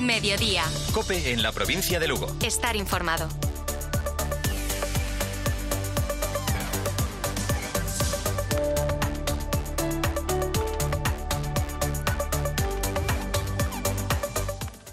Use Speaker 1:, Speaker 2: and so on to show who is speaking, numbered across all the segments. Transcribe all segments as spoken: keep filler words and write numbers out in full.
Speaker 1: Mediodía.
Speaker 2: COPE en la provincia de Lugo.
Speaker 1: Estar informado.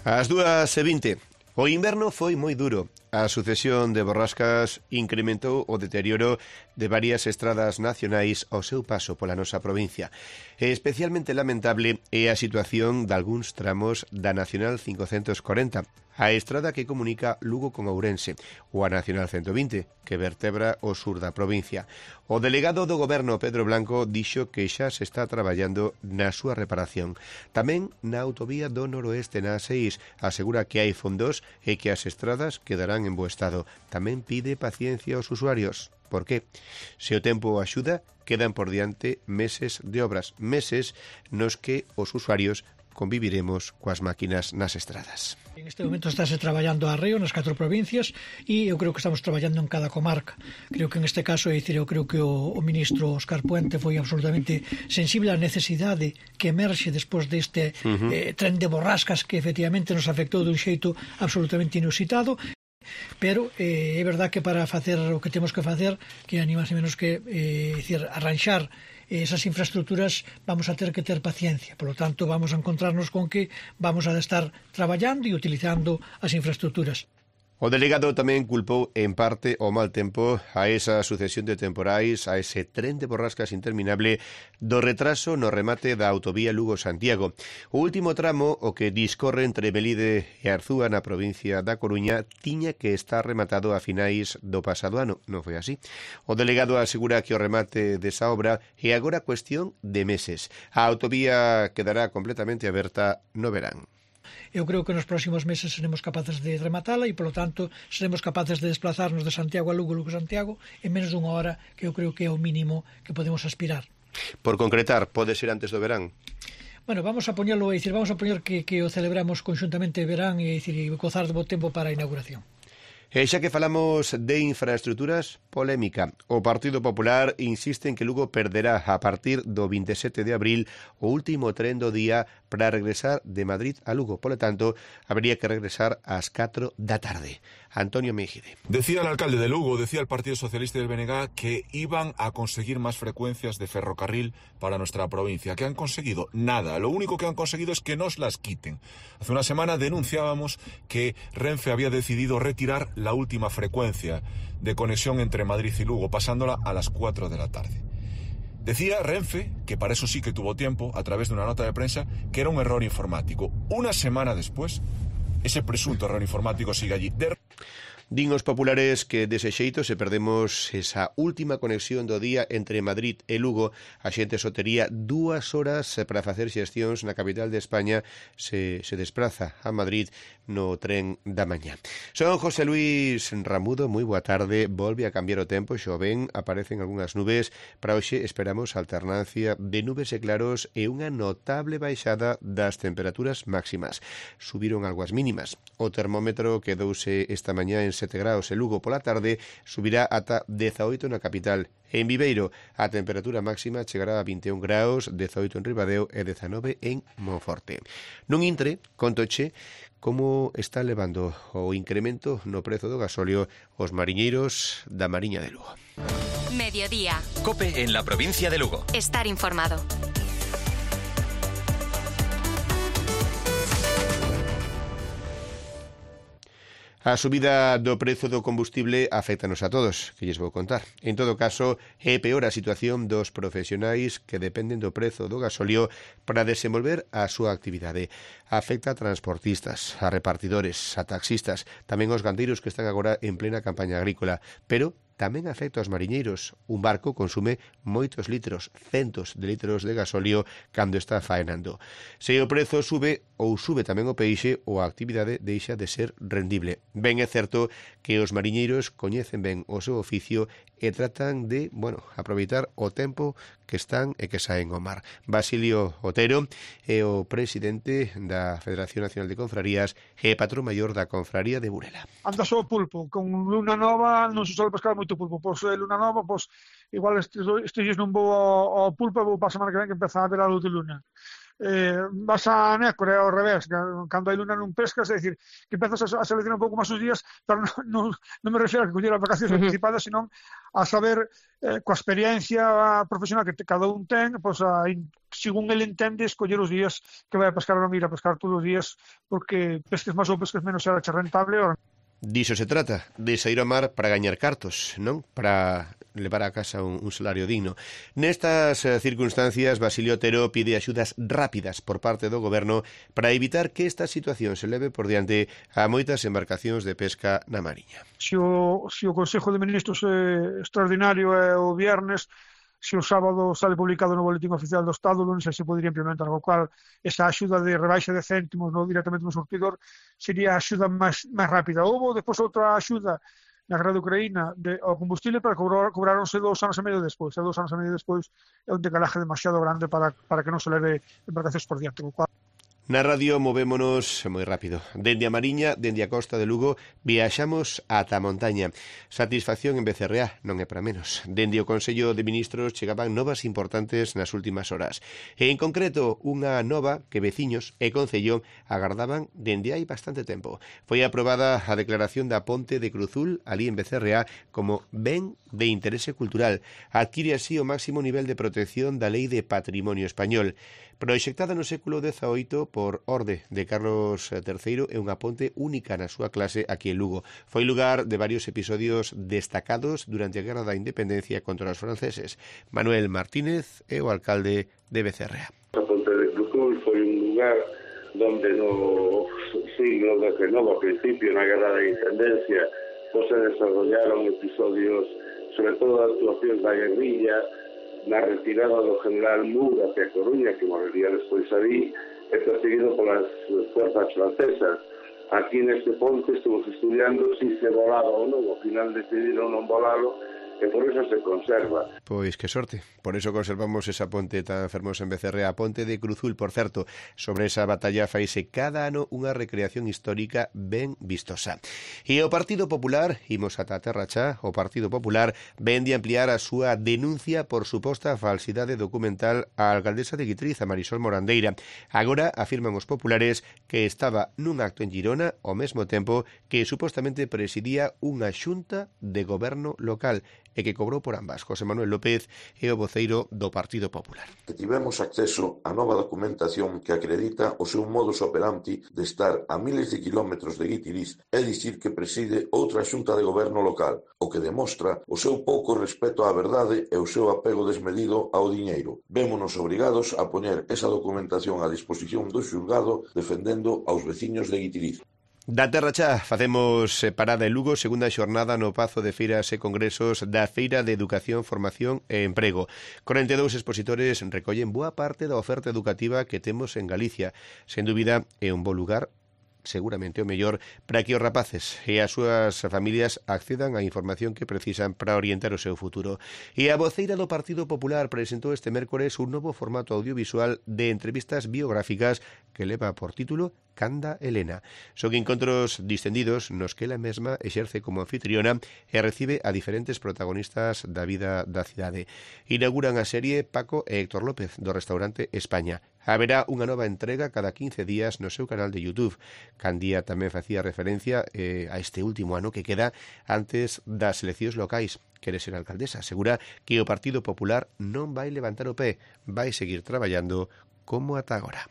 Speaker 3: Ás dúas e vinte. O inverno foi moi duro. A sucesión de borrascas incrementou o deterioro de varias estradas nacionais ao seu paso pola nosa provincia. E especialmente lamentable é a situación de algúns tramos da Nacional cincocentos corenta, a estrada que comunica Lugo con Ourense, ou a Nacional ciento vinte, que vertebra o sur da provincia. O delegado do Goberno, Pedro Blanco, dixo que xa se está traballando na súa reparación. Tamén na autovía do noroeste na A seis asegura que hai fondos e que as estradas quedarán en bo estado. Tamén pide paciencia aos usuarios. Por qué? Se o tempo axuda, quedan por diante meses de obras, meses nos que os usuarios conviviremos coas máquinas nas estradas.
Speaker 4: En este momento estáse traballando a arreo nas catro provincias e eu creo que estamos traballando en cada comarca. Creo que en este caso, é dicir, eu creo que o, o ministro Óscar Puente foi absolutamente sensible á necesidade que emerxe despois deste uh-huh. eh, tren de borrascas que efectivamente nos afectou dun xeito absolutamente inusitado. Pero eh, é verdad que para facer o que temos que facer, que ani máis e menos que eh, decir, arranxar esas infraestructuras, vamos a ter que ter paciencia. Por lo tanto, vamos a encontrarnos con que vamos a estar traballando e utilizando as infraestructuras.
Speaker 3: O delegado tamén culpou en parte o mal tempo a esa sucesión de temporais, a ese tren de borrascas interminable do retraso no remate da autovía Lugo-Santiago. O último tramo, o que discorre entre Melide e Arzúa na provincia da Coruña, tiña que estar rematado a finais do pasado ano. Non foi así. O delegado asegura que o remate desa obra é agora cuestión de meses. A autovía quedará completamente aberta no verán.
Speaker 4: Eu creo que nos próximos meses seremos capaces de rematala e, polo tanto, seremos capaces de desplazarnos de Santiago a Lugo, Lugo a Santiago, en menos dunha hora, que eu creo que é o mínimo que podemos aspirar.
Speaker 3: Por concretar, pode ser antes do verán?
Speaker 4: Bueno, vamos a poñelo, é dicir, vamos a poñer que, que o celebramos conxuntamente verán e, dicir, e gozar de bo tempo para a inauguración.
Speaker 3: E xa que falamos de infraestructuras, polémica. O Partido Popular insiste en que Lugo perderá a partir do vinte e sete de abril o último tren do día para regresar de Madrid a Lugo. Por lo tanto, habría que regresar ás catro da tarde. Antonio Mejide.
Speaker 5: Decía el alcalde de Lugo, decía el Partido Socialista y el B N G que iban a conseguir más frecuencias de ferrocarril para nuestra provincia. ¿Qué han conseguido? Nada. Lo único que han conseguido es que nos las quiten. Hace una semana denunciábamos que Renfe había decidido retirar la última frecuencia de conexión entre Madrid y Lugo, pasándola a las cuatro de la tarde. Decía Renfe, que para eso sí que tuvo tiempo, a través de una nota de prensa, que era un error informático. Una semana después, ese presunto error informático sigue allí. De...
Speaker 3: Din os populares que dese xeito se perdemos esa última conexión do día entre Madrid e Lugo, a xente só tería dúas horas para facer xestións na capital de España se se despraza a Madrid no tren da mañá. Son José Luis Ramudo, moi boa tarde. Volve a cambiar o tempo, xoven, aparecen algunhas nubes. Para hoxe esperamos alternancia de nubes e claros e unha notable baixada das temperaturas máximas. Subiron algo as mínimas. O termómetro quedouse esta mañá en sete graus e Lugo pola tarde subirá ata dezaoito na capital. En Viveiro a temperatura máxima chegará a vinte e un graus, dezaoito en Ribadeo e dezanove en Monforte. Nun intre, contoche como está levando o incremento no prezo do gasóleo os mariñeiros da Mariña de Lugo.
Speaker 1: Mediodía.
Speaker 2: COPE en la provincia de Lugo.
Speaker 1: Estar informado.
Speaker 3: A subida do prezo do combustible afectanos a todos, que lles vou contar. En todo caso, é peor a situación dos profesionais que dependen do prezo do gasóleo para desenvolver a súa actividade. Afecta a transportistas, a repartidores, a taxistas, tamén aos gandeiros que están agora en plena campaña agrícola, pero tamén afecta aos mariñeiros. Un barco consume moitos litros, centos de litros de gasóleo cando está faenando. Se o prezo sube ou sube tamén o peixe, ou a actividade deixa de ser rendible. Ben é certo que os mariñeiros coñecen ben o seu oficio e tratan de, bueno, aproveitar o tempo que están e que saen ao mar. Basilio Otero é o presidente da Federación Nacional de Confrarías e patrón maior da Confraría de Burela.
Speaker 6: Anda só o pulpo, con luna nova non se sobe pescar moito pulpo, pois é luna nova, pois igual estes, estes non vou ao, ao pulpo, vou para a semana que ven que empeza a ver a luz de luna. eh, vas a Nécora ao revés, cando hai luna non pescas, é dicir, que empezas a, a seleccionar un pouco máis os días, pero non, non, non me refiro a que coller as vacacións anticipadas, senón a saber, eh, coa experiencia profesional que te, cada un ten, pois a, según ele entende, escoller os días que vai a pescar ou non ir a pescar todos os días, porque pesques máis ou pesques menos será che rentable ou non.
Speaker 3: Diso se trata, de sair ao mar para gañar cartos, non? Para levar a casa un, un salario digno. Nestas eh, circunstancias, Basilio Otero pide axudas rápidas por parte do goberno para evitar que esta situación se leve por diante a moitas embarcacións de pesca na Mariña.
Speaker 6: Se o, se o Consejo de Ministros é extraordinario é o viernes, se o sábado sale publicado no Boletín Oficial do Estado, non sei se podería implementar, o cual esa axuda de rebaixa de céntimos no, directamente no surtidor sería a axuda máis, máis rápida. Houve depois outra axuda na guerra de Ucraína de, ao combustible, para cobrar, cobraronse dous anos e medio despois, e dous anos e medio despois é un decalaje demasiado grande para, para que non se leve embarcacións por diante, o cual
Speaker 3: Na radio movémonos moi rápido. Dende a Mariña, dende a costa de Lugo, viaxamos ata a montaña. Satisfacción en Becerreá, non é para menos. Dende o Consello de Ministros chegaban novas importantes nas últimas horas. E en concreto, unha nova que veciños e Concello agardaban dende hai bastante tempo. Foi aprobada a declaración da Ponte de Cruzul, ali en Becerreá, como ben de interese cultural. Adquire así o máximo nivel de protección da Lei de Patrimonio Español. Proxectada no século dezaoito por orde de Carlos terceiro, é unha ponte única na súa clase aquí en Lugo. Foi lugar de varios episodios destacados durante a Guerra da Independencia contra os franceses. Manuel Martínez é o alcalde de Becerreá.
Speaker 7: A ponte de Cruzul foi un lugar donde no siglo dezenove, a principio, na Guerra da Independencia, pues se desarrollaron episodios, sobre todo actuacións da guerrilla, na retirada do general Moore hacia Coruña, que moriría despois ali, e perseguido polas fuerzas francesas. Aquí neste ponte estuvos estudiando si se volaba ou non, ao final decidiron non volalo, e por eso se conserva.
Speaker 3: Pois que sorte, por eso conservamos esa ponte tan fermosa en Becerreá, a Ponte de Cruzul, por certo. Sobre esa batalla faise cada ano unha recreación histórica ben vistosa. E o Partido Popular, imos ata a Terra Chá, o Partido Popular ven de ampliar a súa denuncia por suposta falsidade documental á alcaldesa de Guitriz, a Marisol Morandeira. Agora afirman os populares que estaba nun acto en Girona ao mesmo tempo que supostamente presidía unha xunta de goberno local e que cobrou por ambas. José Manuel López é o voceiro do Partido Popular.
Speaker 8: Que tivemos acceso a nova documentación que acredita o seu modus operandi de estar a miles de kilómetros de Guitiriz e dicir que preside outra xunta de goberno local, o que demostra o seu pouco respeto á verdade e o seu apego desmedido ao diñeiro. Vémonos obrigados a poñer esa documentación a disposición do xulgado defendendo aos veciños de Guitiriz.
Speaker 3: Da Terra Chá facemos parada en Lugo, segunda xornada no Pazo de Feiras e Congresos da Feira de Educación, Formación e Emprego. corenta e dous expositores recollen boa parte da oferta educativa que temos en Galicia. Sen dúbida, é un bo lugar, seguramente o mellor, para que os rapaces e as súas familias accedan á información que precisan para orientar o seu futuro. E a voceira do Partido Popular presentou este mércores un novo formato audiovisual de entrevistas biográficas que leva por título Canda Elena. Son encontros distendidos nos que ela mesma exerce como anfitriona e recibe a diferentes protagonistas da vida da cidade. Inauguran a serie Paco e Héctor López do restaurante España. Haberá unha nova entrega cada quince días no seu canal de YouTube. Candía tamén facía referencia eh, a este último ano que queda antes das eleccións locais. Quere ser alcaldesa. Asegura que o Partido Popular non vai levantar o pé, vai seguir traballando como ata agora.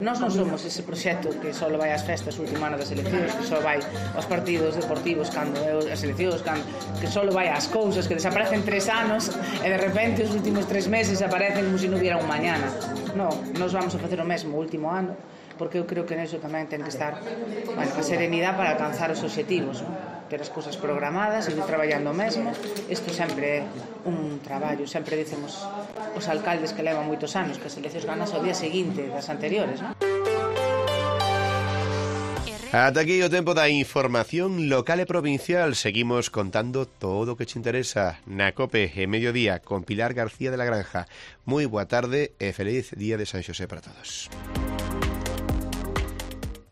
Speaker 9: Nós non somos ese proxecto que só vai ás festas o último ano das eleccións, que só vai aos partidos deportivos cando é as eleccións, cando, que só vai ás cousas, que desaparecen tres anos e de repente os últimos tres meses aparecen como se non hubiera un mañana. Non, nós vamos a facer o mesmo o último ano, porque eu creo que neso tamén ten que estar, bueno, a serenidade para alcanzar os obxectivos, non? Ter as cousas programadas, seguir traballando mesmo. Isto sempre é un traballo, sempre dicen os, os alcaldes que levan moitos anos que as eleccións ganas ao día seguinte das anteriores, non?
Speaker 3: Ata aquí o tempo da información local e provincial. Seguimos contando todo o que te interesa na COPE e Mediodía con Pilar García de la Granja. Moi boa tarde e feliz día de San Xosé para todos.